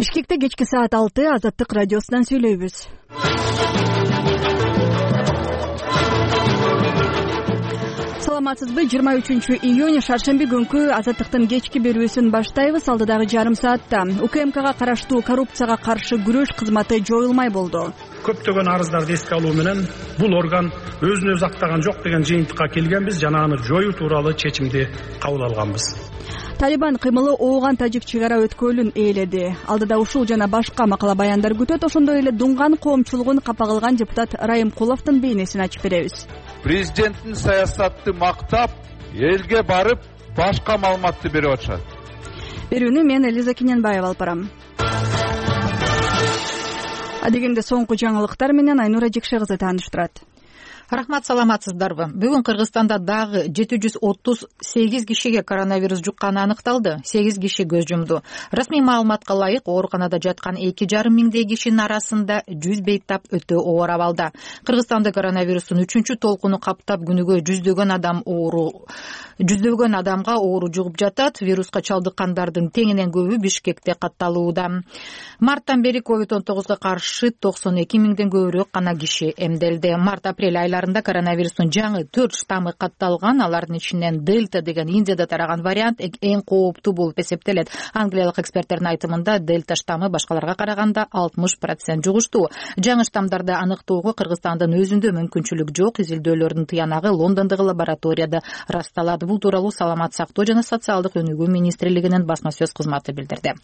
Бишкекте кечки саат 6 Азаттык радиосунан сүйлөйбүз. Саламатсызбы? 23-июнь шаршемби күнкү Азаттыктын кечки берүүсүн баштайбыз. Алдыдагы жарым саатта УКМКга караштуу коррупцияга каршы күрөш кызматы жоюлмай болду. Көптөгөн арыздарды эске алуу менен бул орган өзүн өзү актаган жок деген жыйынтыкка келгенбиз жана аны жоюу тууралуу чечимди кабыл алганбыз. Талибан кыймылы ооган тажик чек ара өткөлүн ээледи. Алдыда ушул жана башка макала баяндар күтөт. Ошондой эле Дунган коомчулугун капа кылган депутат Райымкуловдун бейнесин ачып беребиз. Президенттин саясатты мактап, элге барып, башка маалыматты берип атышат. Берүүнү мен Элиза Кененбаева алып барам. Адегенде соңку жаңылыктар менен Айнура Жекше кызы тааныштырат. Рахмат, саламатсыздарбы? Бүгүн Кыргызстанда дагы 738 кишиге коронавирус жукканы аныкталды. 8 киши көз жумду. Расмий маалыматка ылайык, ооруканада жаткан 2,5 миңдей кишинин арасында 100 бейтап өтө оор абалда. Кыргызстанда коронавирустун 3-чү толкуну каптап, күнүгө жүздөгөн адамга оору жугуп жатат. Вируска чалдыккандардын теңинен көбү Бишкекте катталууда. Марттан бери COVID-19 каршы 92 миңден көбүрөөк гана киши эмделди. Март-апрель айларында коронавирустун жаңы 4 штаммы катталган. Алардын ичинен дельта деген Индияда тараган вариант эң кооптуу болуп эсептелет. Англиялык эксперттердин айтымында дельта штаммы башкаларга караганда 60% жугуштуу. Жаңы штаммдарды аныктоого Кыргызстандын өзүндө мүмкүнчүлүк жок. Изилдөөлөрдүн тыянагы Лондондогу лабораторияда расталат. Бул тууралуу Саламат сактоо жана социалдык өнүгүү министрлигинин басма сөз кызматы билдирди.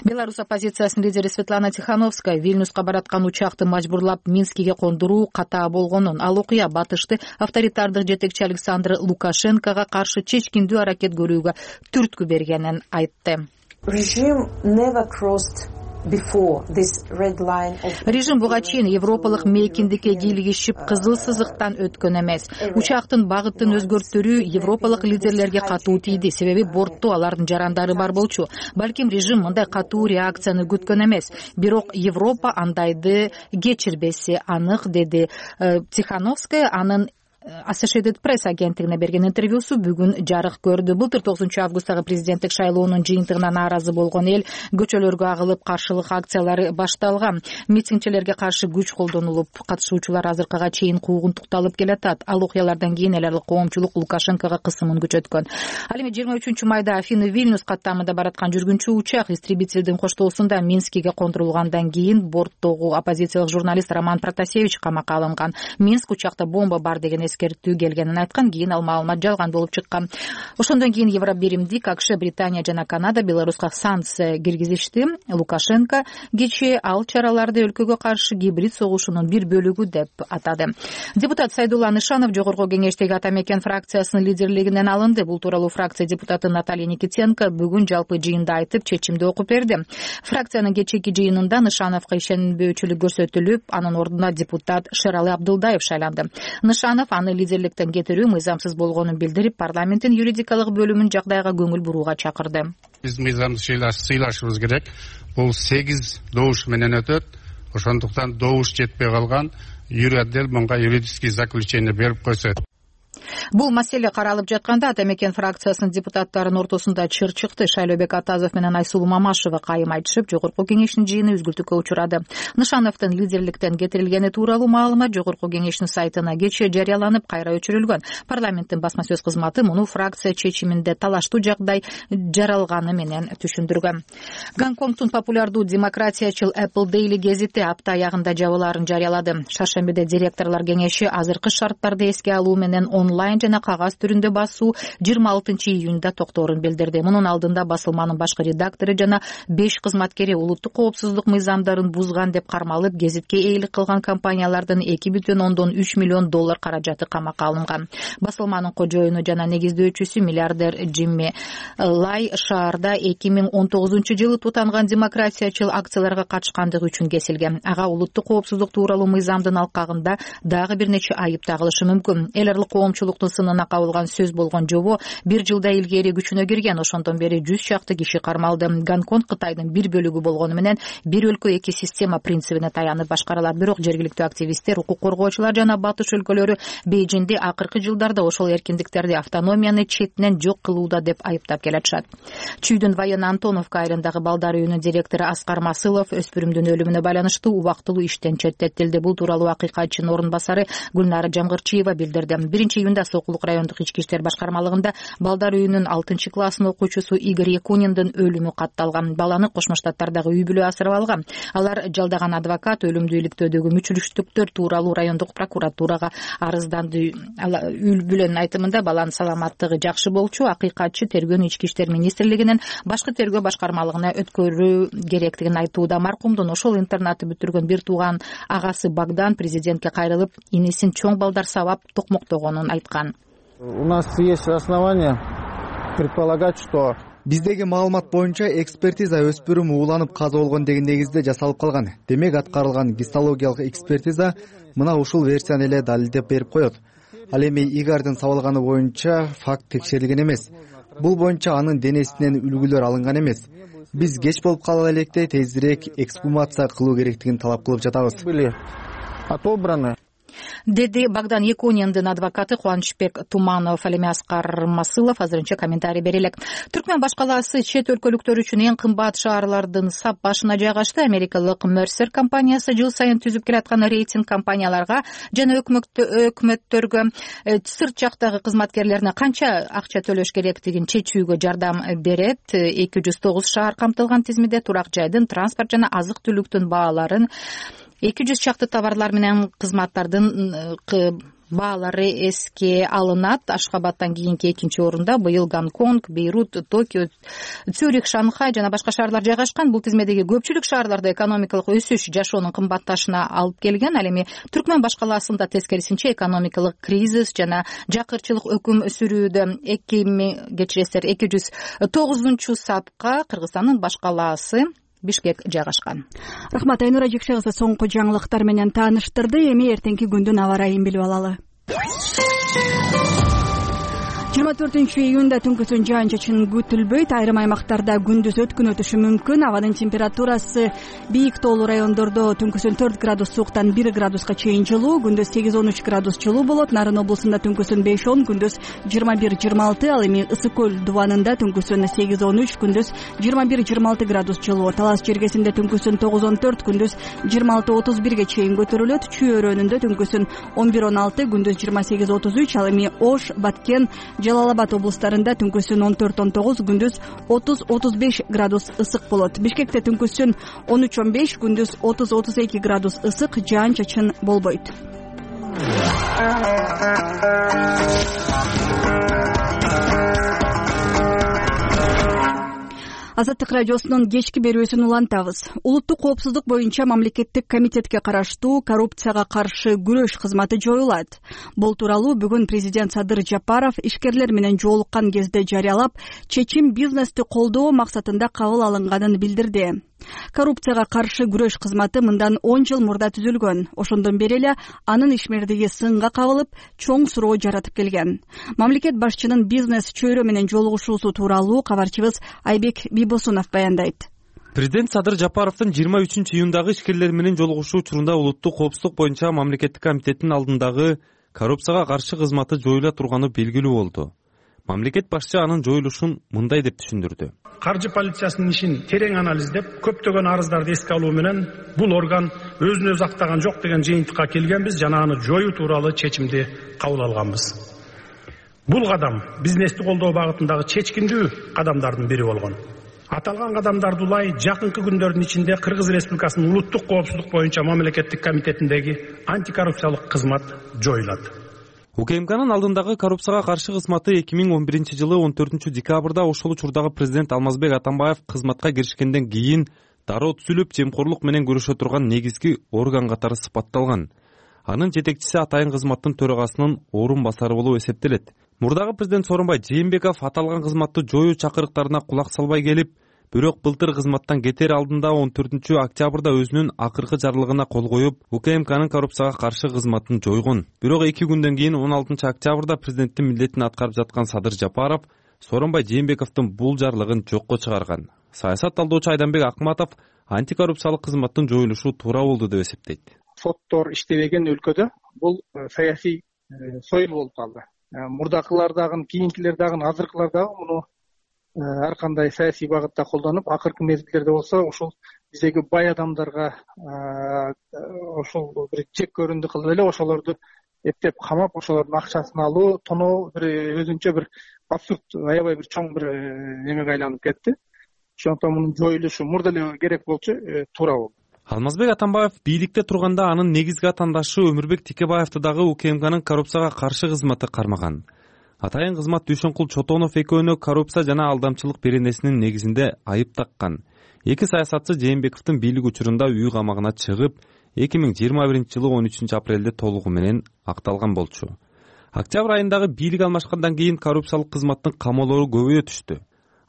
Беларусь оппозициясынын лидери Светлана Тихановская Вильнюска бараткан учакты мажбурлап Минскиге кондуруу ката болгонун, ал окуя батышты авторитардык жетекчи Александр Лукашенкого каршы чечкиндүү аракет көрүүгө түрткү бергенин айтты. Режим буга чейин европалык мейкиндикке кийлигишип кызыл сызыктан өткөн эмес. Учактын багытын өзгөртүүрү европалык лидерлерге катуу тийди, себеби бортто алардын жарандары бар болчу. Балким режим мындай катуу реакцияны күткөн эмес, бирок Европа андайды кечирбеси анык, деди Тихановская. Анын Associated Press агенттигине берген интервьюсу бүгүн жарык көрдү. Былтыр 9-августтагы президенттик шайлоонун жыйынтыгына нааразы болгон эл көчөлөргө агылып, каршылык акциялары башталган. Митингчилерге каршы күч колдонулуп, катышуучулар азыркыга чейин куугунтукталып келатат. Ал окуялардан кийин эл аралык коомчулук Лукашенкого кысымын күчөткөн. Ал эми 23-майда Афины-Вильнюс каттамында бараткан жүргүнчү учак истребительдин коштоосунда Минскиге кондурулгандан кийин борттогу оппозициялык журналист Роман Протасевич камакка алынган. Минск учакта бомба бар деген эскертүү келгенин айткан, кийин ал маалымат жалган болуп чыккан. Ошондон кийин Евробиримдик, АКШ, Британия жана Канада Беларуска санкция киргизишти. Лукашенко кечээ ал чараларды өлкөгө каршы гибрид согушунун бир бөлүгү деп атады. Депутат Сайдулла Нышанов Жогорку кеңештеги Ата Мекен фракциясынын лидерлигинен алынды. Бул тууралуу фракция депутаты Наталья Никитенко бүгүн жалпы жыйында айтып, чечимди окуп берди. Фракциянын кечээки жыйынында Нышановго ишенбөөчүлүк көрсөтүлүп, анын ордуна депутат Шералы Абдылдаев шайланды. Нышанов аны лидерликтен кетирүү мыйзамсыз болгонун билдирип, парламенттин юридикалык бөлүмүн жагдайга көңүл бурууга чакырды. Биз мыйзамды сыйлашыбыз керек. Бул 8 добуш менен өтөт. Ошондуктан добуш жетпей калган юридел мынга юридический заключение берип койсо. Бул маселе каралып жатканда Ата Мекен фракциясынын депутаттарынын ортосунда чыр чыкты. Шайлообек Атазов менен Айсулуу Мамашева кайым айтышып, Жогорку кеңештин жыйыны үзгүлтүккө учурады. Нышановдун лидерликтен кетирилгени тууралуу маалымат Жогорку кеңештин сайтына кечээ жарыяланып, кайра өчүрүлгөн. Парламенттин басма сөз кызматы муну фракция чечиминде талаштуу жагдай жаралганы менен түшүндүргөн. Гонконгдун популярдуу демократиячыл Apple Daily гезити апта аягында жабылаарын жарыялады. Шаршембиде директорлор кеңеши азыркы шарттарды эске алуу менен онлайн жана кагаз түрүндө басуу 26-июнда токторун билдирди. Мунун алдында басылманын башкы редактору жана 5 кызматкери улуттук коопсуздук мыйзамдарын бузган деп кармалып, гезитке ээлик кылган компаниялардын $2,3 миллион каражаты камакка алынган. Басылманын кожоюну жана негиздөөчүсү миллиардер Джимми Лай шаарда 2019-жылы тутанган демократиячыл акцияларга катышкандыгы үчүн кесилген. Ага улуттук коопсуздук тууралуу мыйзамдын алкагында дагы бир нече айып тагылышы мүмкүн. Эл аралык коомчулук коомчулуктун сынына кабылган сөз болгон жобо 1 жылда илгери күчүнө кирген. Ошондон бери 100 чакты киши кармалды. Гонконг Кытайдын бир бөлүгү болгону менен бир өлкө эки система принцибине таянып башкарылат. Бирок жергиликтүү активисттер, укук коргоочулар жана батыш өлкөлөрү Бейжиңди акыркы жылдарда ошол эркиндиктерди, автономияны четинен жок кылууда деп айыптап келатышат. Чүйдүн Военно Антоновка айылындагы балдар үйүнүн директору Аскар Масылов өспүрүмдүн өлүмүнө байланыштуу убактылуу иштен четтетилди. Бул тууралуу акыйкатчынын орун басары Гүлнара Жамгырчиева билдирди. 1-июнда Сокулук райондук ички иштер башкармалыгында балдар үйүнүн 6-классын окуучусу Игорь Якуниндин өлүмү катталган. Баланы Кошмо Штаттардагы үй бүлө асырап алган. Алар жалдаган адвокат өлүмдү иликтөөдөгү мүчүлүштүктөр тууралуу райондук прокуратурага арызданды. Үй бүлөнүн айтымында баланын саламаттыгы жакшы болчу. Акыйкатчы тергөөнү Ички иштер министрлигинин башкы тергөө башкармалыгына өткөрүү керектигин айтууда. Маркумдун ошол интернатты бүтүргөн бир тууган агасы Богдан президентке кайрылып, инесин чоң балдар сабап токмоктогонун айткан. У нас есть основания предполагать, что биздеги маалымат боюнча экспертиза өспүрүм ууланып каза болгон деген негизде жасалып калган. Демек аткарылган гистологиялык экспертиза мына ушул версияны эле далилдеп берип коет. Ал эми Игордун сабалганы боюнча факт текшерилген эмес. Бул боюнча анын денесинен үлгүлөр алынган эмес. Биз кеч болуп кала электе тезирээк эксгумация кылуу керектигин талап кылып жатабыз. Были отобраны, деди Богдан Якуниндин адвокаты Кубанычбек Туманов. Ал эми Аскар Масылов азырынча комментарий бере элек. Түркмен баш калаасы чет өлкөлүктөр үчүн эң кымбат шаарлардын сап башына жайгашты. Америкалык Mercer компаниясы жыл сайын түзүп келаткан рейтинг компанияларга жана өкмөттөргө сырт жактагы кызматкерлерине канча акча төлөш керектигин чечүүгө жардам берет. 209 шаар камтылган тизмеде турак жайдын, транспорт жана азык түлүктүн бааларын, 200 чакты товарлар менен кызматтардын баалары эске алынат. Ашхабадтан кийинки экинчи орунда быйыл Гонконг, Бейрут, Токио, Цюрих, Шанхай жана башка шаарлар жайгашкан. Бул тизмедеги көпчүлүк шаарларда экономикалык өсүш жашоонун кымбатташына алып келген. Ал эми Түркмен баш калаасында тескерисинче экономикалык кризис жана жакырчылык өкүм сүрүүдө. 209 сапка Кыргызстандын баш калаасы Бишкек жайгашкан. Рахмат, Айнура Жекше кызы соңку жаңылыктар менен тааныштырды. Эми эртеңки күндүн аба ырайын билип алалы. 24-июнда түнкүсүн жаан-чачын күтүлбөйт. Айрым аймактарда күндүз өткүн өтүшү мүмкүн. Абанын температурасы бийик тоолуу райондордо түнкүсүн 4 градус сууктан 1 градуска чейин жылуу, күндүз 8-13 градус жылуу болот. Нарын облусунда түнкүсүн 5-10, күндүз 21-26. Ал эми Ысык көл дубанында түнкүсүн 8-13, күндүз 21-26 градус жылуу. Талас жергесинде түнкүсүн 9-14, күндүз 26-31ге чейин көтөрүлөт. Чүй өрөөнүндө түнкүсүн 11-16, күндүз 28-33. Ал эми Ош, Баткен, Жалал-Абад облустарында түнкүсүн 14-19, күндүз 30-35 градус ысык болот. Бишкекте түнкүсүн 13-15, күндүз 30-32 градус ысык, жаан-чачын болбойт. Азаттык радиосунун кечки берүүсүн улантабыз. Улуттук коопсуздук боюнча мамлекеттик комитетке караштуу коррупцияга каршы күрөш кызматы жоюлат. Бул тууралуу бүгүн президент Садыр Жапаров ишкерлер менен жолуккан кезде жарыялап, чечим бизнести колдоо максатында кабыл алынганын билдирди. Коррупцияга каршы күрөш кызматы мындан 10 жыл мурда түзүлгөн. Ошондон бери эле анын ишмердиги сынга кабылып, чоң суроо жаратып келген. Мамлекет башчынын бизнес чөйрө менен жолугушуусу тууралуу кабарчыбыз Айбек Бибосунов баяндайт. Президент Садыр Жапаровдун 23-июндагы ишкерлер менен жолугушуу учурунда улуттук коопсуздук боюнча мамлекеттик комитеттин алдындагы коррупцияга каршы кызматы жоюла турганы белгилүү болду. Мамлекет башчы анын жоюлушун мындай деп түшүндүрдү. Каржы полициясынын ишин терең анализдеп, көптөгөн арыздарды эске алуу менен бул орган өзүн өзү актаган жок деген жыйынтыкка келгенбиз жана аны жоюу тууралуу чечимди кабыл алганбыз. Бул кадам бизнести колдоо багытындагы чечкиндүү кадамдардын бири болгон. Аталган кадамдарды улай жакынкы күндөрдүн ичинде Кыргыз Республикасынын улуттук коопсуздук боюнча мамлекеттик комитетиндеги антикоррупциялык кызмат жоюлат. УКМКнын алдындагы коррупцияга каршы кызматы 2011 жылы 14 декабрда ошол учурдагы президент Алмазбек Атамбаев кызматка киришкенден кийин дароо түзүлүп, жемкорлук менен күрөшө турган негизги орган катары сыпатталган. Анын жетекчиси атайын кызматтын төрагасынын орун басары болуп эсептелет. Мурдагы президент Сооронбай Жээнбеков аталган кызматты жоюу чакырыктарына кулак салбай келип, Бирок былтыр кызматтан кетер алдында 14-октябрда өзүнүн акыркы жарлыгына кол коюп, УКМКнын коррупцияга каршы кызматын жойгон. Бирок 2 күндөн кийин 16-октябрда президенттин милдетин аткарып жаткан Садыр Жапаров Сооронбай Жээнбековдун бул жарлыгын жокко чыгарган. Саясат талдоочу Айданбек Акматов антикоррупциялык кызматтын жоюлушу туура болду деп эсептейт. Соттор иштебеген өлкөдө бул саясий союл болуп калды. Мурдакылар дагы, кийинкилер дагы, азыркылар дагы муну ар кандай саясий багытта колдонуп, акыркы мезгилдерде болсо ушул биздеги бай адамдарга ошол бир чек көрүндү кылып эле ошолорду эптеп камап, ошолордун акчасын алуу, тоноо бир өзүнчө бир абсурд, аябай бир чоң бир немеге айланып кетти. Ошондон мунун жоюлушу мурда эле керек болчу, туура болду. Алмазбек Атамбаев бийликте турганда анын негизги атаандашы Өмүрбек Текебаевди дагы УКМКнын коррупцияга каршы кызматы кармаган. Атайын кызмат Дүйшөнкул Чотонов экөөнө коррупция жана алдамчылык беренесинин негизинде айып таккан. Эки саясатчы Жээнбековдун бийлик учурунда үй камагына чыгып, 2021-жылы 13-апрелде толугу менен акталган болчу. Октябрь айындагы бийлик алмашкандан кийин коррупциялык кызматтын камоолору көбөйө түштү.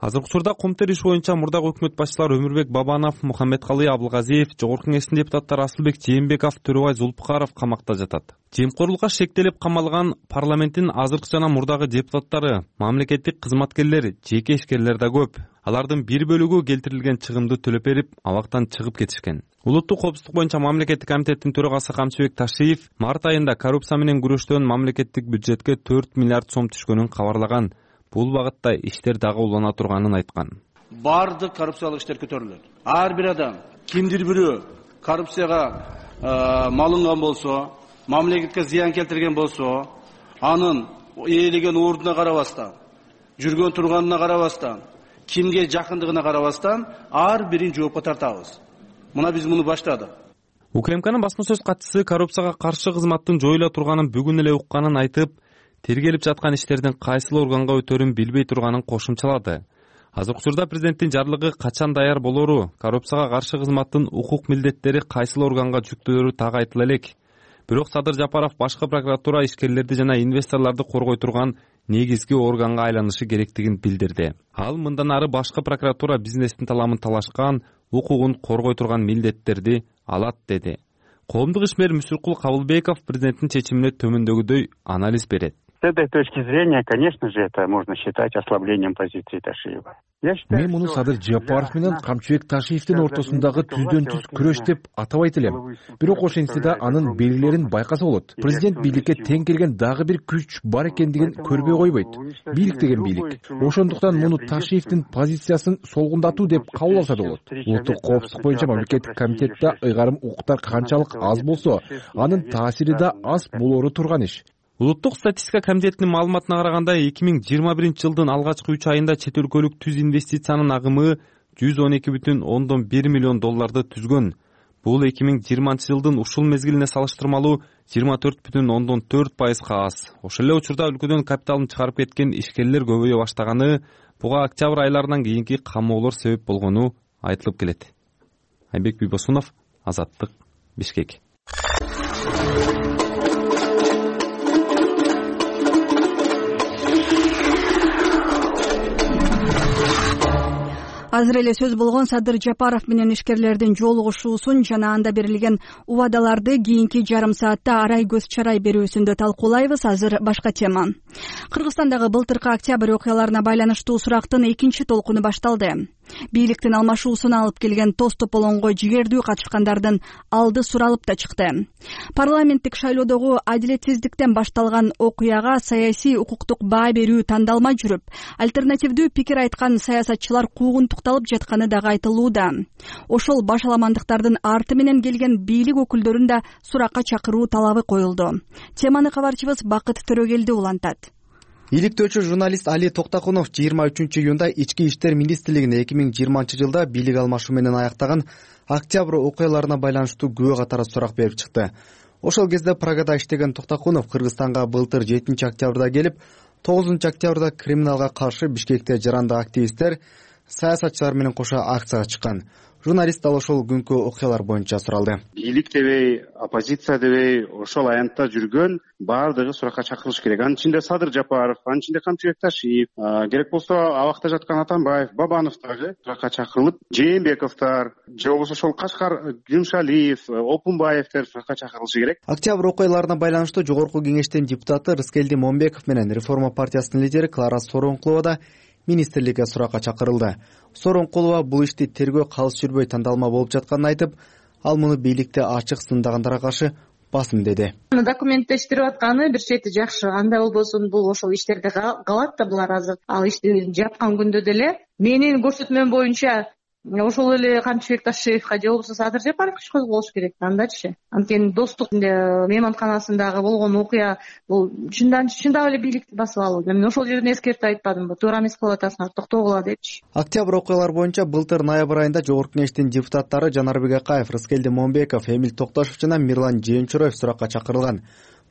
Азыркы учурда Коомтер иш боюнча мурдагы өкмөт башчылары Өмүрбек Бабанов, Мухаммедкалый Абылгазиев, Жогорку Кеңештин депутаттары Асылбек Жээнбеков, Төрөбай Зулпукаров камакта жатат. Жемкорлукка шектелип камалган парламенттин азыркы жана мурдагы депутаттары, мамлекеттик кызматкерлер, жеке ишкерлер да көп. Алардын бир бөлүгү келтирилген чыгымды төлөп берип, абактан чыгып кетишкен. Улуттук коопсуздук боюнча мамлекеттик комитеттин төрагасы Камчыбек Ташиев март айында коррупция менен күрөштөн мамлекеттик бюджетке 4 миллиард сом түшкөнүн кабарлаган. Бул багытта иштер дагы улана турганын айткан. Бардык коррупциялык иштер көтөрүлөт. Ар бир адам кимдир бирөө коррупцияга малынган болсо, мамлекетке зыян келтирген болсо, анын ээлеген ордуна карабастан, жүргөн турганына карабастан, кимге жакындыгына карабастан ар бирин жоопко тартабыз. Мына биз муну баштадык. УКМКнын басма сөз катчысы коррупцияга каршы кызматтын жоюла турганын бүгүн эле укканын айтып, тергелип жаткан иштердин кайсыл органга өтөрүн билбей турганын кошумчалады. Азыркы учурда президенттин жарлыгы качан даяр болору, коррупцияга каршы кызматтын укук милдеттери кайсыл органга жүктөөрү так айтыла элек. Бирок Садыр Жапаров башкы прокуратура ишкерлерди жана инвесторлорду коргой турган негизги органга айланышы керектигин билдирди. Ал мындан ары башкы прокуратура бизнестин таламын талашкан, укугун коргой турган милдеттерди алат деди. Коомдук ишмер Мүсүркул Кабылбеков президенттин чечимине төмөндөгүдөй анализ берет. С этой точки зрения, конечно же, это можно считать ослаблением позиции Ташиева. Мен муну Садыр Жапаров менен Камчыбек Ташиевдин ортосундагы түздөн түз күрөш деп атабайт элем. Бирок ошентсе да анын белгилерин байкаса болот. Президент бийликке тең келген дагы бир күч бар экендигин көрбөй койбойт. Бийлик деген бийлик. Ошондуктан муну Ташиевдин позициясын солгундатуу деп кабыл алса да болот. Улуттук коопсуздук боюнча мамлекеттик комитетте ыйгарым укуктар канчалык аз болсо, анын таасири да аз болору турган иш. Улуттук статистика комитетинин маалыматына караганда 2021-жылдын алгачкы 3 айында чет өлкөлүк түз инвестициянын агымы 112,1 миллион долларды түзгөн. Бул 2020-жылдын ушул мезгилине салыштырмалуу 24,4% аз. Ошол эле учурда өлкөдөн капиталын чыгарып кеткен ишкерлер көбөйө баштаганы, буга октябрь айларынан кийинки камоолор себеп болгону айтылып келет. Айбек Бийбосунов, Азаттык, Бишкек. Азыр эле сөз болгон Садыр Жапаров менен ишкерлердин жолугушуусун жана анда берилген убадаларды кийинки жарым саатта арай көз чарай берүүсүндө талкуулайбыз. Азыр башка тема. Кыргызстандагы былтыркы октябрь окуяларына байланыштуу сурактын экинчи толкуну башталды. Бийликтин алмашуусуна алып келген тоз тополоңго жигердүү катышкандардын алды суралып да чыкты. Парламенттик шайлоодогу адилетсиздиктен башталган окуяга саясий укуктук баа берүү тандалмай жүрүп, альтернативдүү пикир айткан саясатчылар куугунтукталып жатканы дагы айтылууда. Ошол башаламандыктардын арты менен келген бийлик өкүлдөрүн да суракка чакыруу талабы коюлду. Теманы кабарчыбыз Бакыт Төрөгелди улантат. Иликтөөчү журналист Али Токтакунов 23-июнда Ички иштер министрлигине 2020-жылда бийлик алмашуу менен аяктаган октябрь окуяларына байланыштуу күбө катары сурак берип чыкты. Ошол кезде Прагада иштеген Токтакунов Кыргызстанга былтыр 7-октябрда келип, 9-октябрда криминалга каршы Бишкекте жарандык активисттер, саясатчылар менен кошо акцияга чыккан. Журналист дал ошол күнкү окуялар боюнча суралды. Бийлик дебей, оппозиция дебей, ошол аянтта жүргөн баардыгы суракка чакырылыш керек. Анын ичинде Садыр Жапаров, анын ичинде Камчыбек Ташиев, керек болсо абакта жаткан Атамбаев, Бабанов дагы суракка чакырылып, Жээнбековдор же болбосо ошол Кашкар Гүмшалиев, Опунбаевдер суракка чакырылышы керек. Октябрь окуяларына байланыштуу Жогорку Кеңештин депутаты Рыскелди Момбеков менен Реформа партиясынын лидери Клара Сооронкулова да министрликке суракка чакырылды. Сооронкулова бул ишти тергөө калыс жүрбөй тандалма болуп жатканын айтып, ал муну бийликте ачык сындагандарга каршы басым деди. Документтештирип атканы бир чети жакшы. Андай болбосун бул ошол иштерди калат да булар азыр. Ал ишти жапкан күндө деле менин көрсөтмөм боюнча ошол эле Камчыбек Ташиевге же болбосо Садыр Жапаровго иш козголуш керек андачы. Анткени достук мейманканасындагы болгон окуя бул чындап эле бийликти басып алуу. Мен ошол жерден эскертип айтпадымбы, туура эмес кылып атасыңар, токтогула депчи. Октябрь окуялар боюнча былтыр ноябрь айында Жогорку Кеңештин депутаттары Жанарбек Акаев, Рыскелди Момбеков, Эмил Токташев жана Мирлан Жээнчуроев суракка чакырылган.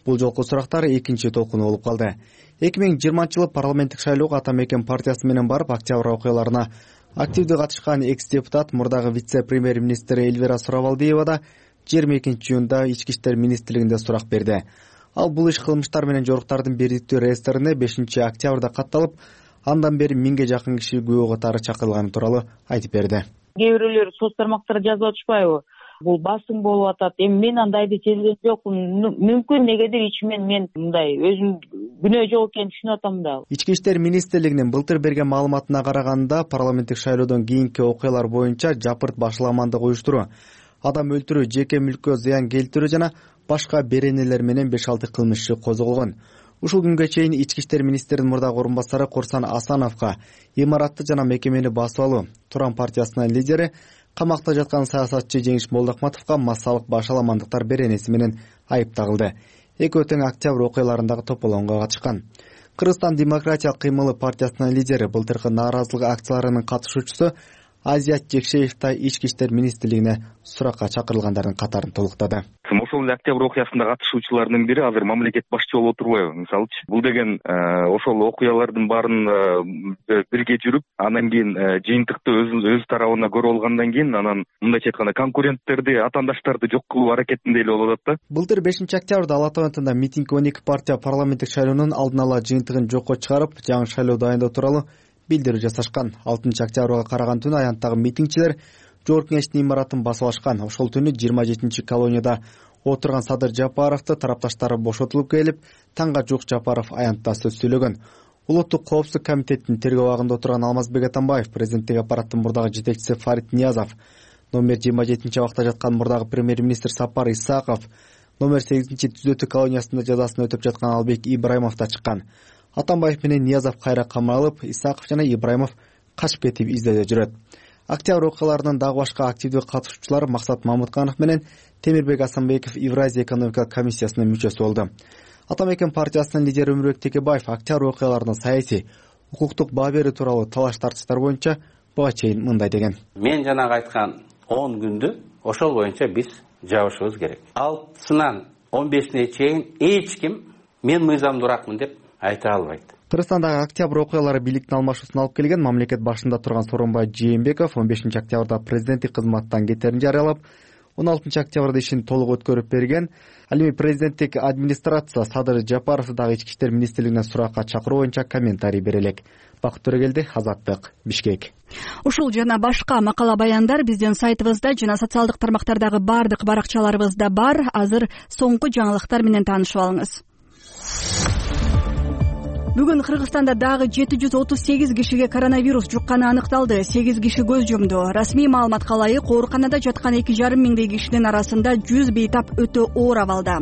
Бул жолку сурактар экинчи толкуну болуп калды. 2020-жылы парламенттик шайлоого Ата Мекен партиясы менен барып, октябрь окуяларына активдүү катышкан экс-депутат, мурдагы вице-премьер-министр Эльвира Сурабалдиева да 22-июнда Ички иштер министрлигинде сурак берди. Ал бул иш кылмыштар менен жоруктардын бирдиктүү реестрине 5-октябрда катталып, андан бери 1000ге жакын киши күбө катары чакырылганы тууралуу айтып берди. Кээ бирөөлөр соц тармактарда жазып атышпайбы? Бул басым болуп атат. Эми мен андайды сезген жокмун. Мүмкүн негедир ичимен мен мындай өзүм күнөө жок экенин түшүнүп атам да. Ички иштер министрлигинин былтыр берген маалыматына караганда, парламенттик шайлоодон кийинки окуялар боюнча жапырт башаламандык уюштуруу, адам өлтүрүү, жеке мүлккө зыян келтирүү жана башка беренелер менен 5-6 кылмыш иши козголгон. Ушул күнгө чейин Ички иштер министринин мурдагы орун басары Курсан Асановго имаратты жана мекемени басып алуу, Туран партиясынын лидери камакта жаткан саясатчы Жеңиш Молдохматовго массалык башаламандыктар беренеси менен айып тагылды. Экөө тең октябрь окуяларындагы тополоңго катышкан. Кыргызстан демократиялык кыймылы партиясынын лидери былтыркы нааразылык акцияларынын катышуучусу Азият Жекшеев да Ички иштер министрлигине суракка чакырылгандардын катарын толуктады. Ошол эле октябрь окуясында катышуучулардын бири азыр мамлекет башчы болуп отурбайбы? Мисалычы, бул деген ошол окуялардын баарын бирге жүрүп, анан кийин жыйынтыкты өз тарабына көрүп алгандан кийин, анан мындайча айтканда конкуренттерди, атаандаштарды жок кылуу аракетинде эле болуп атат да. Былтыр 5-октябрда Ала Тоонтунда митинг 12 партия парламенттик шайлоонун алдын ала жыйынтыгын жокко чыгарып, жаңы шайлоо дайындоо тууралуу билдирүү жасашкан. 6-октябрга караган түнү аянттагы митингчилер Жогорку Кеңештин имаратын басып алышкан. Ошол түнү 27-чи колонияда отурган Садыр Жапаровду тарапташтары бошотулуп келип, таңга жук Жапаров аянтта сөз сүйлөгөн. Улуттук коопсуздук комитетинин тергөө абагында отурган Алмазбек Атамбаев, президенттик аппараттын мурдагы жетекчиси Фарид Ниязов, номер 27-чи абакта жаткан мурдагы премьер-министр Сапар Исаков, номер 8-чи түзөтүү колониясында жазасын өтөп жаткан Албек Ибраимов да чыккан. Атамбаев менен Ниязов кайра камалып, Исаков жана Ибраимов качып кетип издөөдө жүрөт. Октябрь окуяларынын дагы башка активдүү катышуучулары Максат Мамытканов менен Темирбек Асанбеков Евразия экономикалык комиссиясынын мүчөсү болду. Ата Мекен партиясынын лидери Өмүрбек Текебаев октябрь окуяларынын саясий, укуктук баа берүү тууралуу талаш тартыштар боюнча буга чейин мындай деген. Мен жанагы айткан 10 күндү ошол боюнча биз жабышыбыз керек. 6-сынан 15-ине чейин эч ким мен мыйзамдууракмын деп айта албайт. Кыргызстандагы октябрь окуялары бийликтин алмашуусуна алып келген. Мамлекет башында турган Сооронбай Жээнбеков 15-октябрда президенттик кызматтан кетерин жарыялап, 16-октябрда ишин толук өткөрүп берген. Ал эми президенттик администрация Садыр Жапаровду дагы Ички иштер министрлигине суракка чакыруу боюнча комментарий берелек. Бакыт Төрөгелди, Азаттык, Бишкек. Ушул жана башка макала баяндар биздин сайтыбызда жана социалдык тармактардагы бардык баракчаларыбызда бар. Азыр соңку жаңылыктар менен таанышып алыңыз. Бүгүн Кыргызстанда дагы 738 кишиге коронавирус жукканы аныкталды. 8 киши көз жумду. Расмий маалыматка ылайык, ооруканада жаткан 2,5 миңдей кишинин арасында 100 бейтап өтө оор абалда.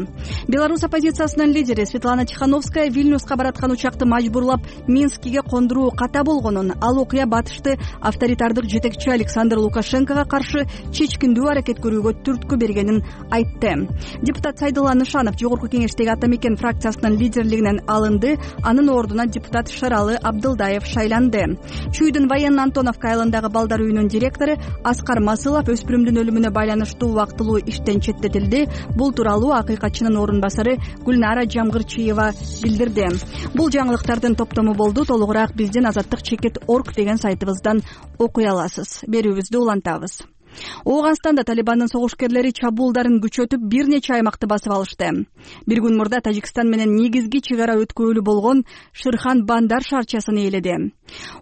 Беларусь оппозициясынын лидери Светлана Тихановская Вильнюска бараткан учакты мажбурлап Минскиге кондуруу ката болгонун, ал окуя батышты авторитардык жетекчи Александр Лукашенкого каршы чечкиндүү аракет көрүүгө түрткү бергенин айтты. Депутат Сайдулла Нышанов Жогорку Кеңештеги Ата Мекен фракциясынын лидерлигинен алынды. Анын ордуна депутат Шаралы Абдылдаев шайланды. Чүйдүн военно Антоновка айылындагы балдар үйүнүн директору Аскар Масылов өспүрүмдүн өлүмүнө байланыштуу убактылуу иштен четтетилди. Бул тууралуу акыйкатчынын орун басары Гүлнара Жамгырчиева билдирди. Бул жаңылыктардын топтому болду. Толугураак биздин азаттык чекит.org деген сайтыбыздан окуй аласыз. Берүүбүздү улантабыз. Ооганстанда Талибандын согушкерлери чабуулдарын күчөтүп бир нече аймакты басып алышты. Бир күн мурда Тажикстан менен негизги чек ара өткөөлү болгон Шырхан Бандар шаарчасын ээледи.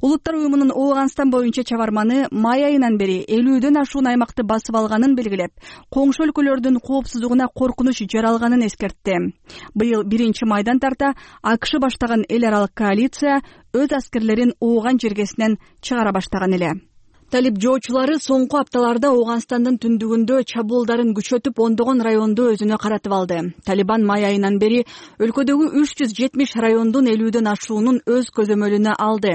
Улуттар уюмунун Ооганстан боюнча чабарманы май айынан бери 50дөн ашуун аймакты басып алганын белгилеп, коңшу өлкөлөрдүн коопсуздугуна коркунуч жаралганын эскертти. Быйыл 1-майдан тарта АКШ баштаган эл аралык коалиция өз аскерлерин Ооган жергесинен чыгара баштаган эле. Талиб жоочулары соңку апталарда Ооганстандын түндүгүндө чабуулдарын күчөтүп, ондогон районду өзүнө каратып алды. Талибан май айынан бери өлкөдөгү 370 райондун 50дөн ашуунун өз көзөмөлүнө алды.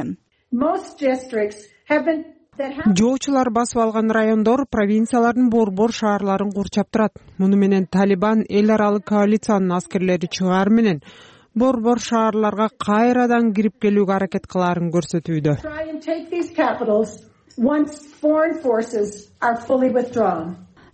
Жоочулар басып алган райондор провинциялардын борбор шаарларын курчап турат. Муну менен Талибан эл аралык коалициянын аскерлери чыгаар менен борбор шаарларга кайрадан кирип келүүгө аракет кылаарын көрсөтүүдө.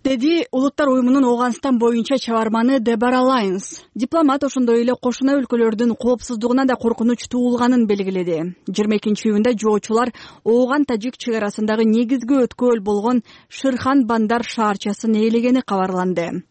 Деди Улуттар уюмунун Ооганстан боюнча чабарманы Дебора Лайнс. Дипломат ошондой эле кошуна өлкөлөрдүн коопсуздугуна да коркунуч туулганын белгиледи. 22-июнда жоочулар Ооган-Тажик чек арасындагы негизги өткөөл болгон Шырхан Бандар шаарчасын ээлегени кабарланды.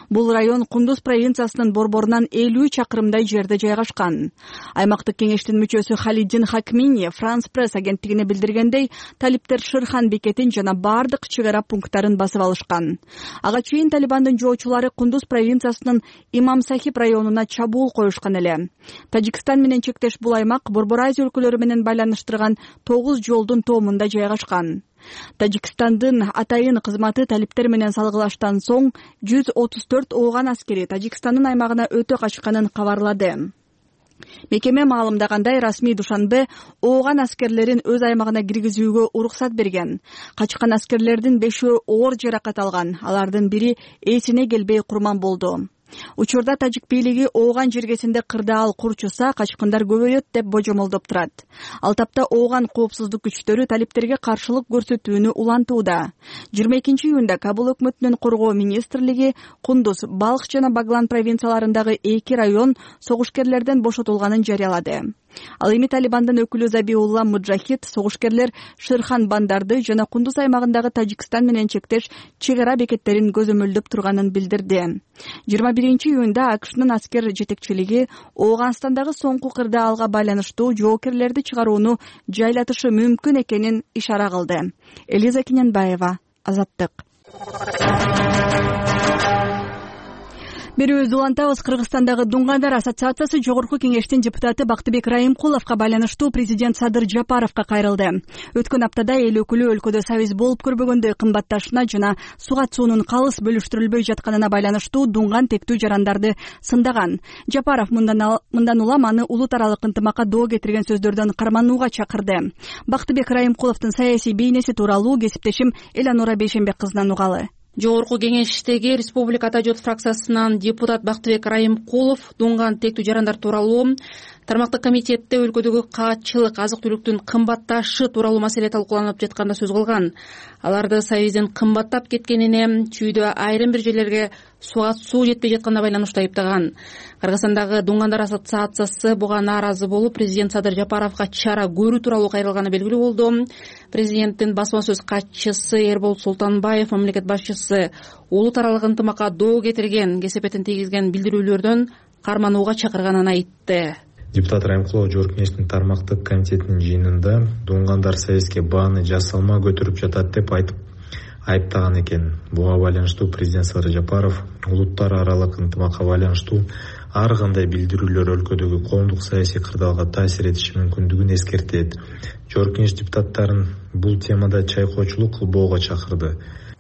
Бул район Кундуз провинциясынын борборунан 50 чакырымдай жерде жайгашкан. Аймактык кеңештин мүчөсү Халиддин Хакмини Франс пресс агенттигине билдиргендей, талиптер Шырхан бекетин жана бардык чек ара пункттарын басып алышкан. Ага чейин Талибандын жоочулары Кундуз провинциясынын Имам Сахиб районуна чабуул коюшкан эле. Тажикстан менен чектеш бул аймак Борбор Азия өлкөлөрү менен байланыштырган 9 жолдун тоомунда жайгашкан. Тажикстандын атайын кызматы талиптер менен салгылаштан соң 134 Ооган аскери Тажикстандын аймагына өтө качканын кабарлады. Мекеме маалымдагандай, расмий Душанбе Ооган аскерлерин өз аймагына киргизүүгө уруксат берген. Качкан аскерлердин 5-өө оор жаракат алган. Алардын бири эсине келбей курман болду. Учурда Тажик бийлиги Ооган жергесинде кырдаал курчуса, качкындар көбөйөт деп божомолдоп турат. Ал тапта Ооган коопсуздук күчтөрү талиптерге каршылык көрсөтүүнү улантууда. 22-июнда Кабул өкмөтүнүн коргоо министрлиги Кундуз, Балх жана Баглан провинцияларындагы 2 район согушкерлерден бошотулганын жарыялады. Ал эми Талибандын өкүлү Забиулла Муджахид согушкерлер Шырхан Бандарды жана Кундуз аймагындагы Тажикстан менен чектеш чек ара бекеттерин көзөмөлдөп турганын билдирди. 21-июнда АКШнын аскер жетекчилиги Ооганстандагы соңку кырдаалга байланыштуу жоокерлерди чыгарууну жайлатышы мүмкүн экенин ишара кылды. Элиза Киненбаева, Азаттык. Берүүбүздү улантабыз. Кыргызстандагы Дуңгандар ассоциациясы Жогорку кеңештин депутаты Бактыбек Райымкуловго байланыштуу президент Садыр Жапаровго кайрылды. Өткөн аптада эл өкүлү өлкөдө сабиз болуп көрбөгөндөй кымбатташына жана суга суунун калыс бөлүштүрүлбөй жатканына байланыштуу дуңган тектүү жарандарды сындаган. Жапаров мындан улам аны улут аралык ынтымакка доо кетирген сөздөрдөн карманууга чакырды. Бактыбек Райымкуловдун саясий бейнеси тууралуу кесиптешим Эланора Бейшенбек кызынан угалы. Жогорку кеңештеги Республика Ата жот фракциясынан депутат Бактыбек Райымкулов дуңган тектүү жарандар тууралуу тармактык комитетте өлкөдөгү каатчылык, азык-түлүктүн кымбатташы тууралуу маселе талкууланып жатканда сөз кылган. Аларды сабиздин кымбаттап кеткенине, чүйдө айрым бир жерлерге суга суу жетпей жатканына байланыштуу айыптаган. Кыргызстандагы Дуңгандар ассоциациясы буга нааразы болуп, президент Садыр Жапаровго чара көрүү тууралуу кайрылганы белгилүү болду. Президенттин басма сөз катчысы Эрбол Султанбаев мамлекет башчысы улут аралык ынтымакка доо кетирген, кесепетин тийгизген билдирүүлөрдөн карманууга чакырганын айтты. Депутат Райымкулов Жогорку кеңештин тармактык комитетинин жыйынында дуңгандар сабизге бааны жасалма көтөрүп жатат деп айтып айыптаган экен. Буга байланыштуу президент Садыр Жапаров улуттар аралык ынтымакка байланыштуу ар кандай билдирүүлөр өлкөдөгү коомдук саясий кырдаалга таасир этиши мүмкүндүгүн эскертет. Жогорку кеңеш депутаттарын бул темада чайкоочулук кылбоого чакырды.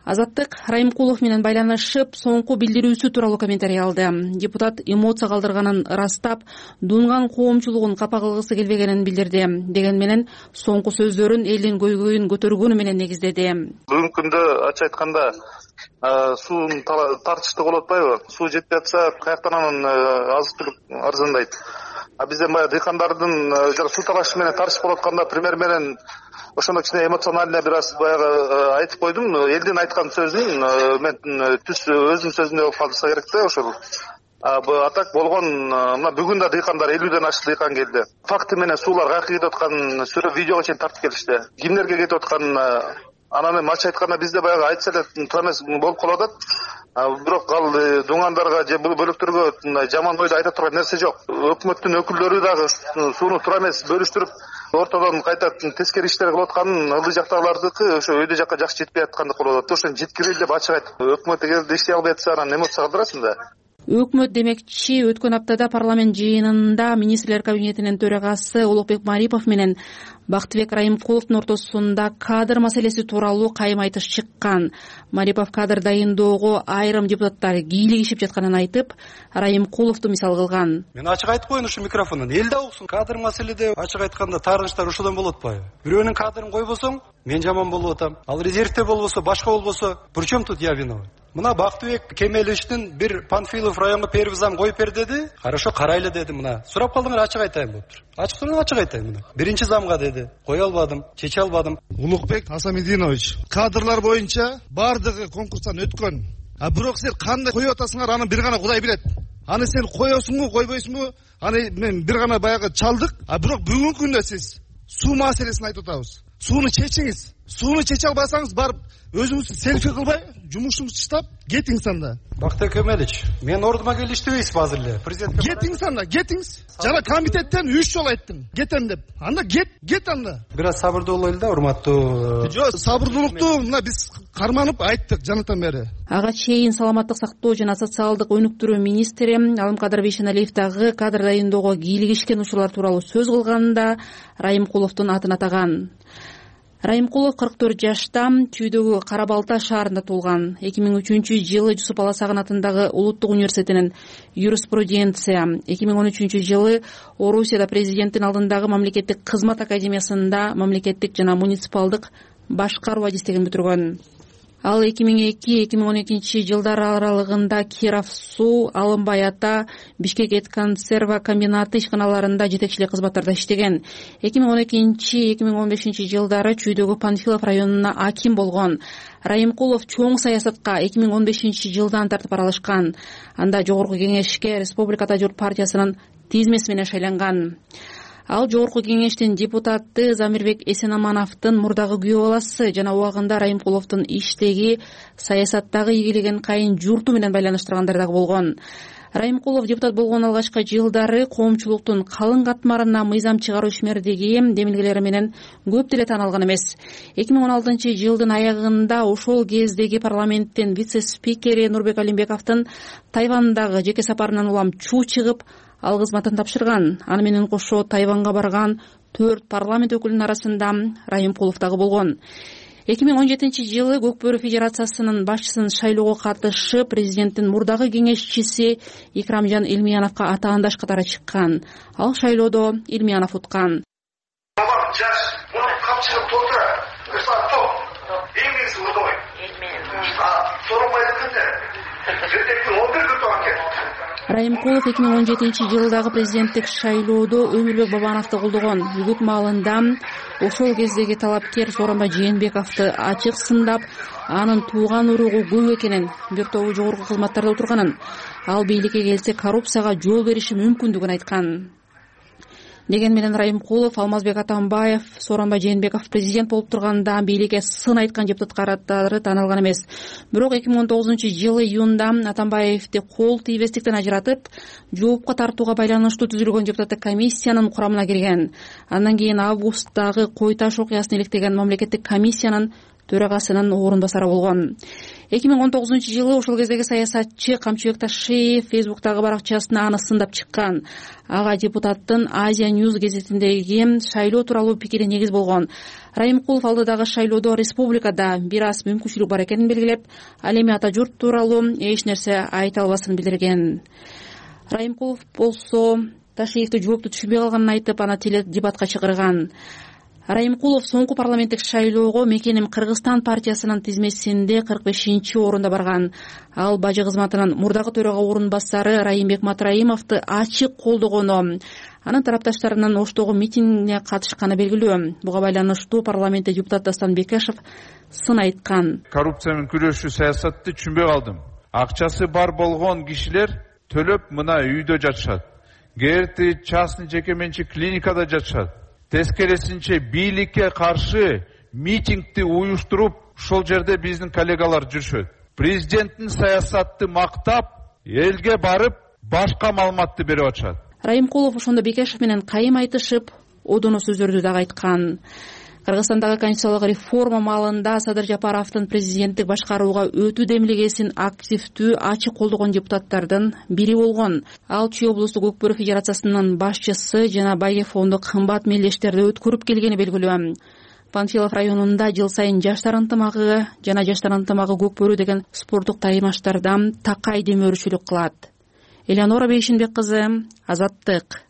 Азаттык Райымкулов менен байланышып, соңку билдирүүсү тууралуу комментарий алды. Депутат эмоция калтырганын ырастап, дуңган коомчулугун капа кылгысы келбегенин билдирди. Деген менен соңку сөздөрүн элдин көйгөйүн көтөргөнү менен негиздеди. Бүгүнкү күндө ачык айтканда суунун тартыштуу болуп атпайбы? Суу жетпей атса, каяктан анын азык-түлүк арзандайт. Бизден баягы дыйкандардын суу талашы менен тартыш болуп атканда премьер менен ошондо кичине эмоционально бир аз баягы айтып койдум. Элдин айткан сөзүн мен түз өзүнүн сөзүндөй болуп калса керек да ошол. А так болгон мына бүгүн да дыйкандар 50ден ашык дыйкан келди. Факты менен суулар каяка кетип атканын видеого чейин тартып келишти. Кимдерге кетип атканын Анан эми ачык айтканда бизде баягы айтса эле туура эмес болуп калып атат. Бирок ал дуңандарга же бөлөктөргө жаман ойду айта турган нерсе жок. Өкмөттүн өкүлдөрү дагы сууну туура эмес бөлүштүрүп ортодон кайта тескери иштер кылып атканын ылдый жактагылардыкы ошо өйдө жакка жакшы жетпей аткандык болуп атат. Ошону жеткирели деп ачык айтып, өкмөт эгерде иштей албай атса анан эме болсо калтырасың да. Өкмөт демекчи өткөн аптада парламент жыйынында министрлер кабинетинин төрагасы Улукбек Марипов менен Бактыбек Райымкуловдун ортосунда кадр маселеси тууралуу кайым айтыш чыккан. Марипов кадр дайындоого айрым депутаттар кийлигишип жатканын айтып, Райымкуловду мисал кылган. Мен ачык айтып коеюн ушу микрофондон. Эл да уксун. Кадр маселеде ачык айтканда тарыгыштар ошодон болуп атпайбы? Бирөөнүн кадрын койбосоң, мен жаман болуп атам. Ал резервде болбосо, башка болбосо, причем тут я виноват? Мына Бактыбек Кемеловичтин бир Панфилов районго первый зам коюп бер деди. Хорошо, карайлы деди. Мына сурап калдыңар, ачык айтайын болуптур. Ачык айтайын мына. Биринчи замга деди. Кое албадым, чече албадым. Улукбек Асамидинович, кадрлар боюнча бардыгы конкурстан өткөн. Бирок сен кандай коюп атасыңар, аны бир гана Кудай билет. Аны сен коесуңбу, койбойсуңбу? Аны мен бир гана баягы чалдык. Бирок бүгүнкү күндө сиз суу маселесин айтып атабыз. Сууну чечиңиз. Сууну чече албасаңыз барып өзүңүз селфи кылбай, жумушуңузду таштап кетиңиз анда. Бактыбек Кемелович, мен ордума келип иштебейсизби азыр эле? Президент кетиңиз анда, кетиңиз. Жана комитеттен 3 жолу айттым, кетем деп. Анда кет анда. Бир аз сабырдуу бололу да, урматтуу. Жок, сабырдуулукту мына биз карманып айттык жанатан бери. Ага чейин саламаттык сактоо жана социалдык өнүктүрүү министри Алымкадыр Бейшеналиев дагы кадр дайындоого кийлигишкен учурлар тууралуу сөз кылганда Райымкуловдун атын атаган. Райымкулов 44 жашта, Чүйдөгү Кара Балта шаарында туулган. 2003-жылы Жусуп Аласагын атындагы Улуттук университетинин юриспруденция, 2013-жылы Орусияда президенттин алдындагы мамлекеттик кызмат академиясында мамлекеттик жана муниципалдык башкаруу адистигин бүтүргөн. Ал 2002-2012 жылдар аралыгында Киров суу, Алымбай ата, Бишкек эт консерва комбинаты ишканаларында жетекчилик кызматтарда иштеген. 2012-2015 жылдары Чүйдөгү Панфилов районуна аким болгон. Райымкулов чоң саясатка 2015 жылдан тартып аралашкан. Анда жогорку кеңешке Республикада журт партиясынын тизмеси менен шайланган. Ал жогорку кеңештин депутаты Замирбек Эсенамановдун мурдагы күйөө баласы жана убагында Райымкуловдун иштеги саясаттагы ийгилигин кайын журту менен байланыштыргандар дагы болгон. Райымкулов депутат болгон алгачкы жылдары коомчулуктун калың катмарына мыйзам чыгаруу ишмердиги демилгелери менен көп деле тааналган эмес. 2016-жылдын аягында ошол кездеги парламенттин вице-спикери Нурбек Алимбековдун Тайвандагы жеке сапарынан улам чуу чыгып, ал кызматын тапшырган. Аны менен кошо Тайванга барган 4 парламент өкүлүнүн арасында Райымкулов дагы болгон. 2017-жылы Көкбөрү Федерациясынын башчысын шайлоого катышып, президенттин мурдагы кеңешчиси Икрамжан Илмияновго атаандаш катары чыккан. Ал шайлоодо Илмиянов уткан. Бабам жаш, муну камчылып толтура. Топ. Эң негизи урдой. Соронбай эткенде. Ертеңки 11 күн токен. Райымкулов 2017-жылдагы президенттик шайлоодо Өмүрбек Бабановду колдогон. Үгүт маалында ошол кездеги талапкер Сооронбай Жээнбековду ачык сындап, анын тууган уругу көп экенин, бир тобу жогорку кызматтарда отурганын, ал бийликке келсе коррупцияга жол бериши мүмкүндүгүн айткан. Деген менен Райымкулов, Алмазбек Атамбаев, Сооронбай Жээнбеков президент болуп турганда бийликке сын айткан депутаттары тааналган эмес. Бирок 2019-жылы июнда Атамбаевди кол тийбестиктен ажыратып, жоопко тартууга байланыштуу түзүлгөн депутаттык комиссиянын курамына кирген. Андан кийин августтагы Кой Таш окуясын иликтеген мамлекеттик комиссиянын төрагасынын орун басары болгон. 2019-жылы ошол кездеги саясатчы Камчыбек Ташиев Фейсбуктагы баракчасына аны сындап чыккан. Ага депутаттын Азия News гезитиндеги шайлоо тууралуу пикири негиз болгон. Райымкулов алдыдагы шайлоодо республикада бир аз мүмкүнчүлүк бар экенин белгилеп, ал эми ата журт тууралуу эч нерсе айта албасын билдирген. Райымкулов болсо Ташиевди жоопту түшүнбөй калганын айтып, аны теледебатка чакырган. Райымкулов соңку парламенттик шайлоого Мекеним Кыргызстан партиясынын тизмесинде 45-орунда барган. Ал бажы кызматынын мурдагы төрага орун басары Райымбек Матраимовду ачык колдогону, анын тарапташтарынын Оштогу митингине катышканы белгилүү. Буга байланыштуу парламентте депутат Дастан Бекешев сын айткан. Коррупция менен күрөшүү саясатты түшүнбөй калдым. Акчасы бар болгон кишилер төлөп мына үйдө жатышат. Кээерти частный жеке менчик клиникада жатышат. Тескерисинче бийликке каршы митингди уюштуруп, ушул жерде биздин коллегалар жүрүшөт. Президенттин саясатты мактап, элге барып башка маалыматты берип атышат. Райымкулов ошондо Бекешев менен кайым айтышып, одоно сөздөрдү дагы айткан. Кыргызстандагы конституциялык реформа маалында Садыр Жапаровдун президенттик башкарууга өтүү демилгесин активдүү, ачык колдогон депутаттардын бири болгон. Ал Чүй облустук Өкпөрө федерациясынын башчысы жана Байге фондук кымбат мелдештерди өткөрүп келгени белгилүү. Панфилов районунда жыл сайын жаштар ынтымагы жана жаштар ынтымагы Көкбөрү деген спорттук таймаштардан такай демөөрчүлүк кылат. Элеонора Бейшинбек кызы, Азаттык.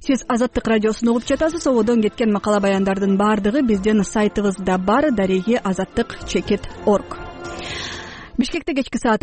Сиз Азаттык радиосун угуп жатасыз. Ободон кеткен макала баяндардын баардыгы биздин сайтыбызда бар, дареги azattik.org. Бишкекте кечки саат